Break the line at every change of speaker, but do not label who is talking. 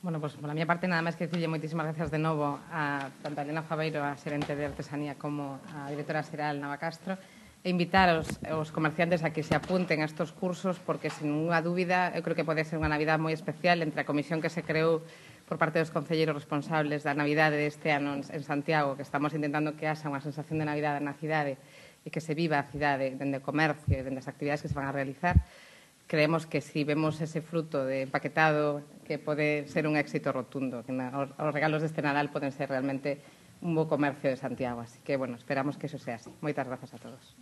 Bueno, pois, pola miña parte, nada máis que dicirlle moitísimas gracias de novo a tanto a Elena Faveiro, a xerente de artesanía, como a directora xeral Nava Castro, e invitar os comerciantes a que se apunten a estes cursos, porque, sin ninguna dúbida, eu creo que pode ser unha Navidad moi especial entre a comisión que se creou por parte dos concelleiros responsables da Navidade deste ano en Santiago, que estamos intentando que haxa unha sensación de Navidade na cidade e que se viva a cidade dende o comercio e dende as actividades que se van a realizar. Creemos que si vemos ese fruto de empaquetado, que pode ser un éxito rotundo, que os regalos deste Nadal poden ser realmente un bo comercio de Santiago. Así que, bueno, esperamos que eso sea así. Moitas grazas a todos.